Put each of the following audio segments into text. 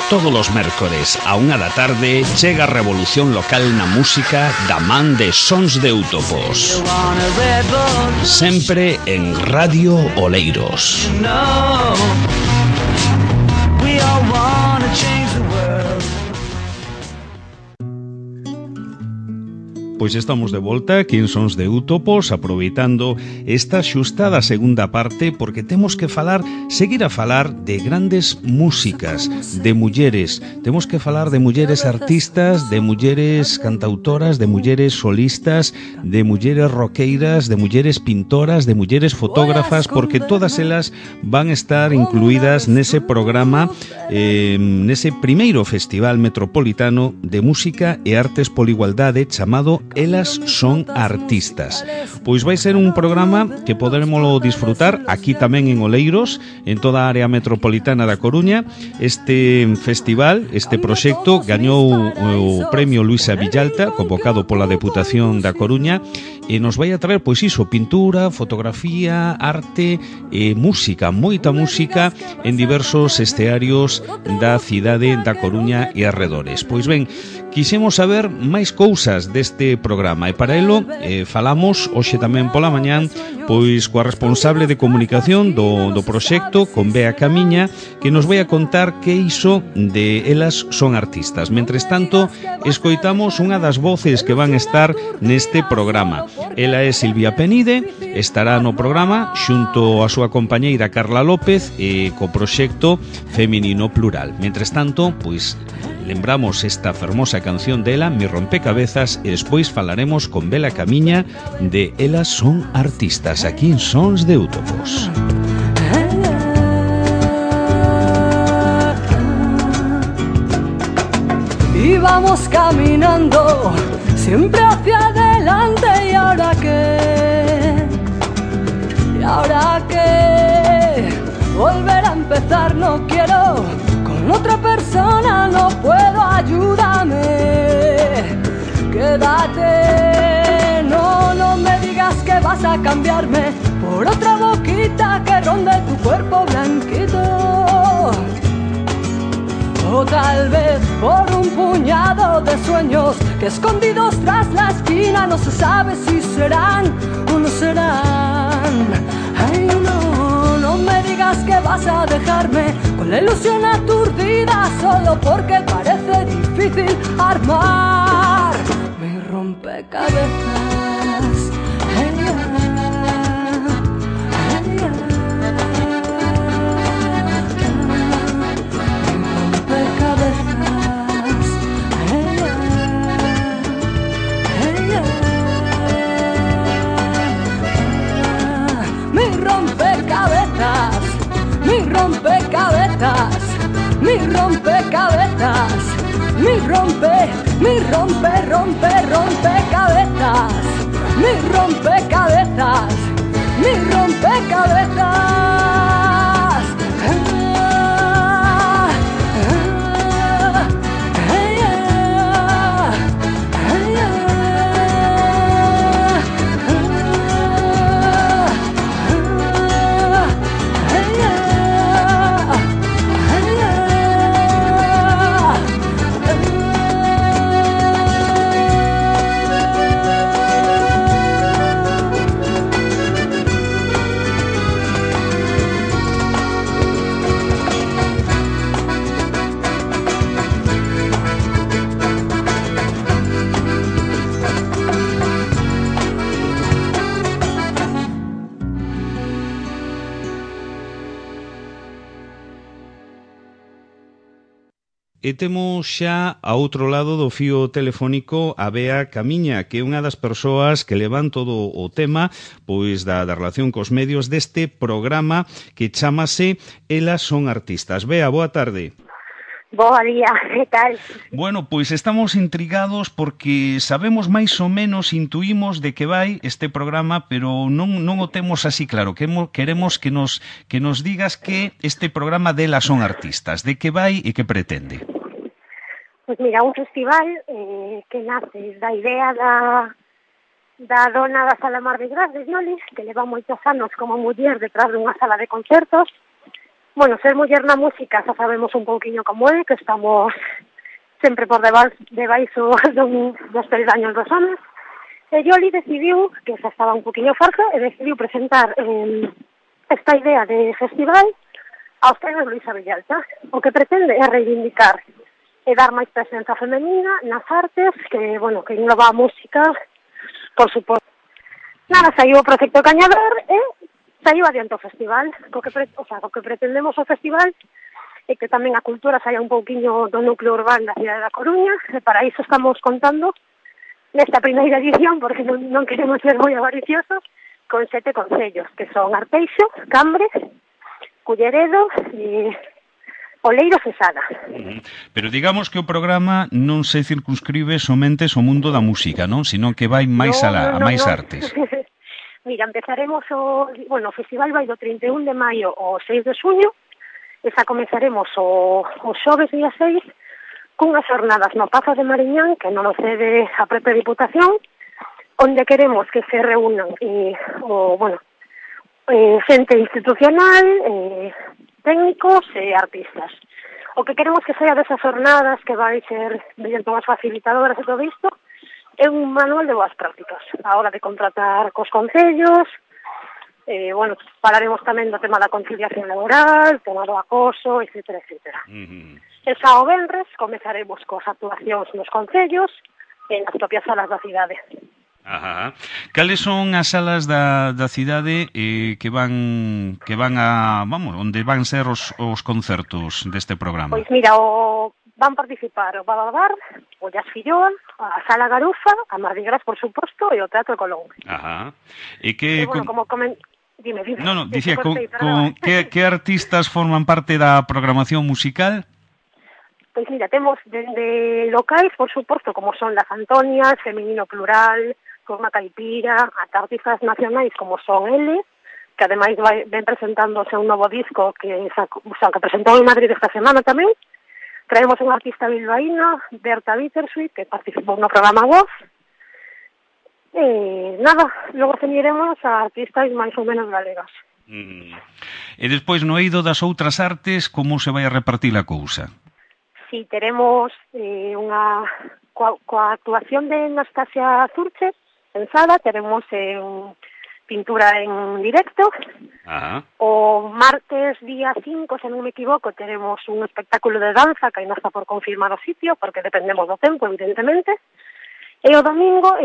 Todos os mércores a 1 da tarde chega a revolución local na música da man de Sons de Eutopos. Sempre en Radio Oleiros. Pois estamos de volta aquí en Sons de Eutopos, aproveitando esta xustada segunda parte, porque temos que seguir a falar de grandes músicas, de mulleres. Temos que falar de mulleres artistas, de mulleres cantautoras, de mulleres solistas, de mulleres roqueiras, de mulleres pintoras, de mulleres fotógrafas, porque todas elas van a estar incluídas nese programa, nese primeiro Festival Metropolitano de Música e Artes pola Igualdade chamado Elas son artistas. Pois vai ser un programa que podermoslo disfrutar aquí tamén en Oleiros, en toda a área metropolitana da Coruña. Este festival, este proxecto, gañou o premio Luisa Villalta, convocado pola Deputación da Coruña, e nos vai a traer, pois iso, pintura, fotografía, arte e música, moita música en diversos estearios da cidade da Coruña e arredores. Pois ben, quixemos saber máis cousas deste programa e para elo falamos hoxe tamén pola mañán pois coa responsable de comunicación do proxecto, con Bea Camiña, que nos vai a contar que iso de Elas son artistas. Mentres tanto, escoitamos unha das voces que van estar neste programa. Ela é Silvia Penide, estará no programa xunto a súa compañeira Carla López e co proxecto Feminino Plural. Mentres tanto, pois lembramos esta fermosa canción dela, Mi rompecabezas, e despois falaremos con Bea Camiña de Elas son artistas, aquí en Sons de Eutopos. Íbamos caminando siempre hacia adelante, y ahora que volver a empezar no quiero, con otra persona no puedo, ayúdame, quédate, no me digas que vas a cambiarme por otra boquita que ronde tu cuerpo blanquito. O tal vez por un puñado de sueños que escondidos tras la esquina no se sabe si serán o no serán. Ay, no me digas que vas a dejarme con la ilusión aturdida solo porque parece difícil armar mi rompecabezas. Mi rompecabezas, mi rompecabezas, mi rompecabezas. E temos xa a outro lado do fío telefónico a Bea Camiña, que é unha das persoas que levan todo o tema pois da relación cos medios deste programa que chamase Elas son artistas. Bea, boa tarde. Boa día, que tal? Bueno, pois estamos intrigados porque sabemos máis ou menos, intuímos de que vai este programa, pero non o temos así claro. Queremos que nos digas que este programa de Elas son artistas, de que vai e que pretende. Pois mira, un festival que nace da idea da dona da Sala Mar de Gras de Violis, que leva moitos anos como muller detrás dunha sala de concertos, Bueno, ser muller na música xa sabemos un pouquiño como é, que estamos sempre por debaixo dos peldaños dos homes. E Yoli decidiu, que xa estaba un poquinho farsa, e decidiu presentar esta idea de festival aos premios Luisa Villalta. O que pretende é reivindicar e dar máis presenza femenina nas artes, que, bueno, que engloba a música, por suposto. Nada, saiu o proxecto Cañaver e saiu adiante o festival. O que pretendemos o festival é que tamén a cultura saia un pouquiño do núcleo urbano da cidade da Coruña, e para iso estamos contando nesta primeira edición, porque non queremos ser moi avariciosos, con 7 concellos, que son Arteixo, Cambre, Culleredo, Oleiros e Sada. Pero digamos que o programa non se circunscribe somente ao mundo da música, non? Sino que vai máis a máis artes. Mira, empezaremos o festival vai do 31 de maio ao 6 de xuño, e xa comezaremos o xoves día 6 cunhas jornadas no Pazo de Mariñán, que non o cede a propia Diputación, onde queremos que se reúnan xente institucional, técnicos e artistas. O que queremos que saia desas jornadas, que vai ser mediante unhas facilitadoras e todo isto, é un manual de boas prácticas a hora de contratar cos concellos. Falaremos tamén do tema da conciliación laboral, tema do acoso, etcétera, etcétera. E xa o venres comezaremos cos actuacións nos concellos e nas propias salas da cidade. Ajá. Cales son as salas da cidade que van a, onde van ser os concertos deste programa? Pois mira, van participar o Bababar, o Jazz Filloa, a Sala Garufa, a Mardi Gras, por suposto, e o Teatro Colón. Ajá. E que... Dime. No, dicía, que artistas forman parte da programación musical? Pois mira, temos dende locais, por suposto, como son Las Antonias, Feminino Plural, Forma Caipira, ata artistas nacionais como son L, que ademais ven presentando o seu novo disco que presentou en Madrid esta semana tamén. Traemos unha artista bilbaína, Berta Bittersweet, que participou no programa Voz. Nada, logo teñeremos a artistas máis ou menos galegas. E despois, no eido das outras artes, como se vai a repartir a cousa? Si, teremos coa actuación de Anastasia Zurche en Sada, teremos pintura en directo. Ajá. O martes día 5, se non me equivoco, teremos un espectáculo de danza, que ainda está por confirmar o sitio, porque dependemos do tempo, evidentemente. E o domingo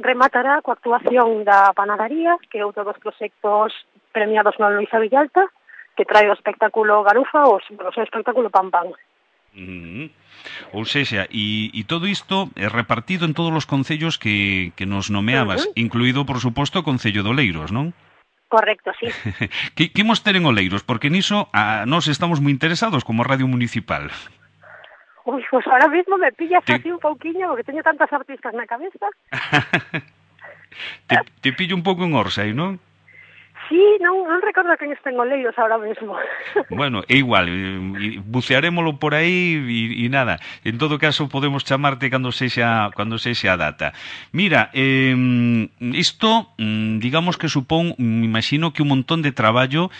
rematará coa actuación da Panadería, que é outro dos proxectos premiados no Luisa Villalta, que trae o espectáculo Garufa, o seu espectáculo Pam Pam. Ou sexa, e todo isto é repartido en todos os concellos que nos nomeabas, incluído, por suposto, o Concello de Oleiros, non? Correcto, sí. Que imos ter en Oleiros? Porque niso nós estamos moi interesados como Radio Municipal. Ui, pues ahora mismo me pillas así un pouquiño, porque teño tantas artistas na cabeza. Te pillo un pouco en Orsay, non? Sí, non recordo quen está en Oleiros ahora mesmo. Bueno, é igual, bucearémolo por aí e nada. En todo caso, podemos chamarte cando sexa a data. Mira, isto, digamos que supón, imagino que un montón de traballo,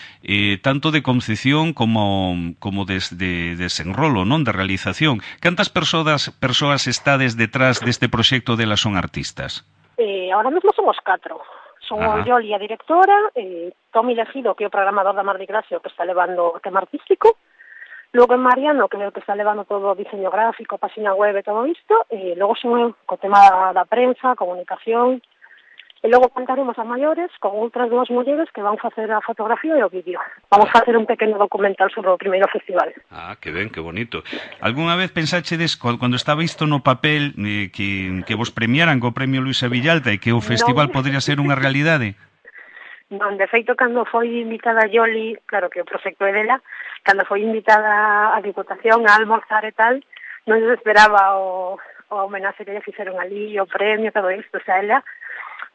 tanto de concepción como de desenrolo, non? De realización. Cantas persoas estades detrás deste proxecto de Las Son Artistas? Ahora mesmo somos 4. Son o Yoli, a directora, Tomi Legido, que é o programador da Mardi Gras, que está levando o tema artístico, logo en Mariano, que é o que está levando todo o diseño gráfico, página web e todo isto, e logo son eu, co tema da prensa, comunicación, e logo contaremos a maiores con outras 2 mulleres que van facer a fotografía e o vídeo. Vamos facer un pequeno documental sobre o primeiro festival. Que ben, que bonito. Algúna vez pensáchedes, cando estaba isto no papel, que vos premiaran co Premio Luisa Villalta e que o festival podría ser unha realidade? Non, de feito, cando foi invitada a Yoli, claro que o proxecto é dela, cando foi invitada a Diputación a almorzar e tal, non se esperaba o homenaxe que lle fixeron ali, o premio, todo isto, o sea, ela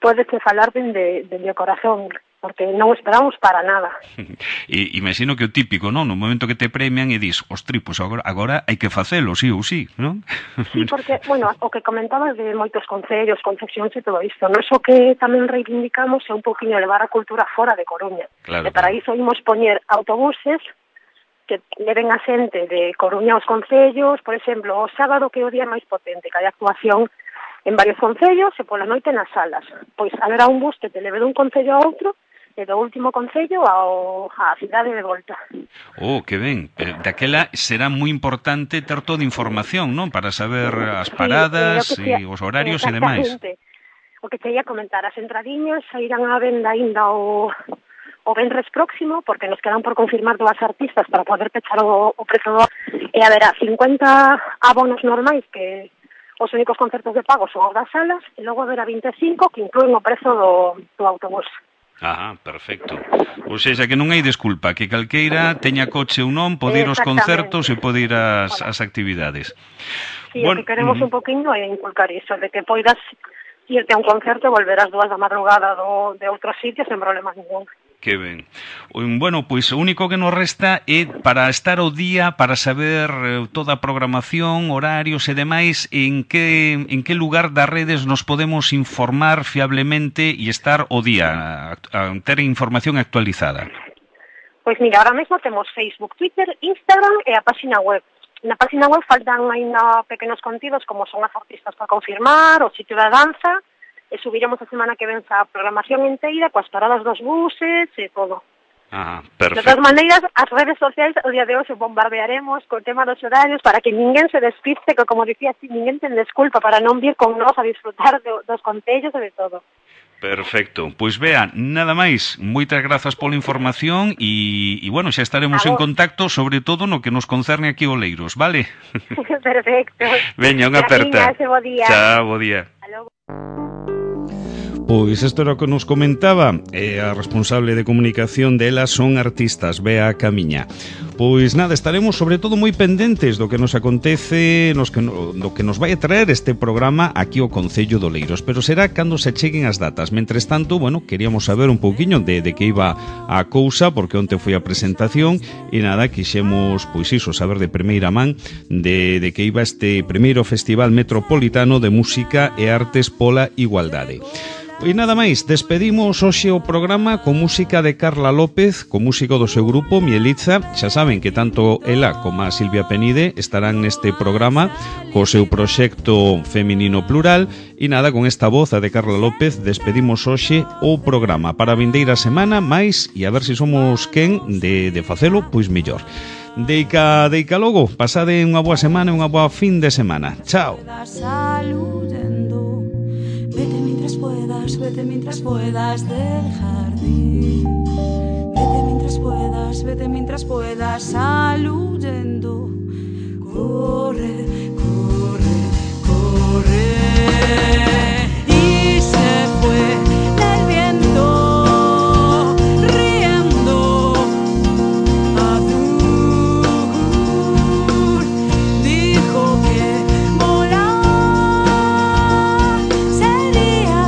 pódese falar dende o corazón, porque non o esperamos para nada. E imagino que o típico, non? No momento que te premian e dis, ostri, pois agora hai que facelo, sí ou sí, non? Sí, porque, bueno, o que comentabas de moitos concellos, concepcións e todo isto, non o que tamén reivindicamos é un poquinho levar a cultura fora de Coruña. Claro, e para iso imos poñer autobuses que leven a xente de Coruña aos concellos, por exemplo, o sábado que é o día máis potente, que hai actuación en varios concellos e pola noite nas salas. Pois haberá un bus que te leve dun concello a outro e do último concello á cidade de volta. Oh, que ben. Daquela será moi importante ter toda información, non? Para saber as paradas e os horarios e demais. O que te ia comentar, as entradiñas sairán á venda ainda o venres próximo, porque nos quedan por confirmar 2 artistas para poder pechar o prezo e haberá 50 abonos normais que os únicos concertos de pago son os das salas e logo haberá 25 que incluen o prezo do autobús. Ah, perfecto. Ou seja, que non hai desculpa, que calqueira teña coche ou non, pode ir aos concertos e pode ir ás actividades. Sí, bueno, o que queremos un poquinho é inculcar iso, de que poidas irte a un concerto e volver ás 2 da madrugada de outro sitio sen problema ningún. Que ben. Bueno, pois o único que nos resta é para estar ao día, para saber toda a programación, horarios e demais, en que lugar das redes nos podemos informar fiablemente e estar ao día, a ter información actualizada. Pois mira, ahora mesmo temos Facebook, Twitter, Instagram e a página web. Na página web faltan ainda pequenos contidos como son as artistas para confirmar, o sitio da danza, e subiremos a semana que ven a programación inteira coas paradas dos buses e todo. Ah, perfecto. De todas maneiras, as redes sociais o día de hoxe bombardearemos co tema dos horarios para que ninguén se despiste, que como dicía, ninguén ten desculpa para non vir con nós a disfrutar dos concellos e de todo. Perfecto. Pois Bea, nada máis. Moitas grazas pola información e bueno, xa estaremos en contacto, sobre todo no que nos concerne aquí o Oleiros, vale? Perfecto. Veña, unha aperta. Bo día. Chao, bo día. Pois isto era o que nos comentaba a responsable de comunicación delas son artistas, Bea Camiña. Pois nada, estaremos sobre todo moi pendentes do que nos acontece, do que nos vai a traer este programa aquí ao Concello de Oleiros, pero será cando se cheguen as datas. Mentres tanto, bueno, queríamos saber un pouquiño de que iba a cousa, porque onte foi a presentación e nada, quixemos, pois iso, saber de primeira man de que iba este primeiro Festival Metropolitano de Música e Artes pola Igualdade. E nada máis, despedimos hoxe o programa con música de Carla López, con músico do seu grupo Mielitza. Xa saben que tanto ela como a Silvia Penide estarán neste programa co seu proxecto feminino plural. E nada, con esta voz a de Carla López despedimos hoxe o programa para a vindeira semana máis e a ver se somos quen de facelo, pois mellor. Deica logo, pasade unha boa semana e unha boa fin de semana. Chao. Vete mientras puedas del jardín. Vete mientras puedas, sal huyendo. Corre, corre, corre. Y se fue el viento riendo azul. Dijo que volar sería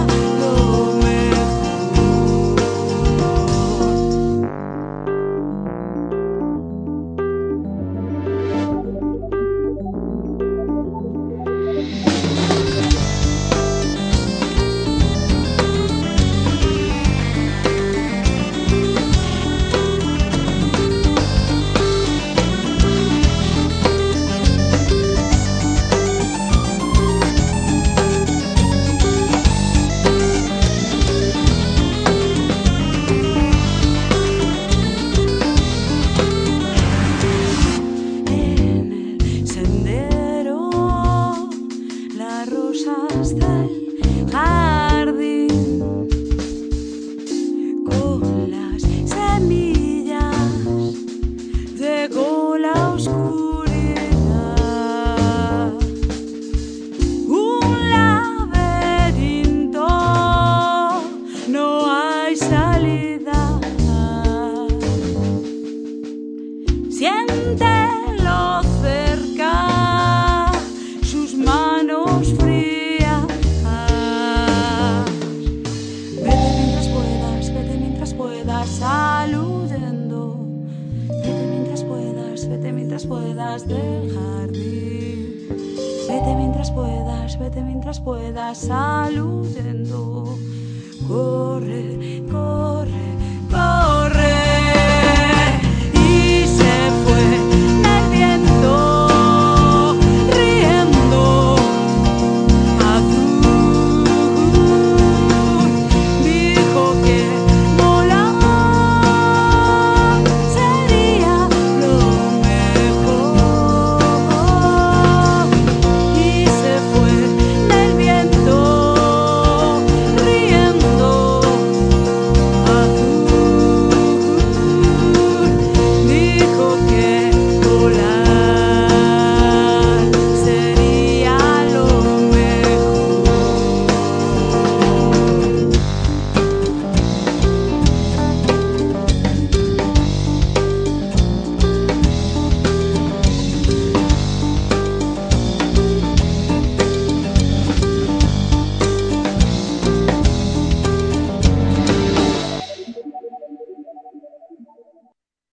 vete mientras puedas, sal huyendo. Corre, corre.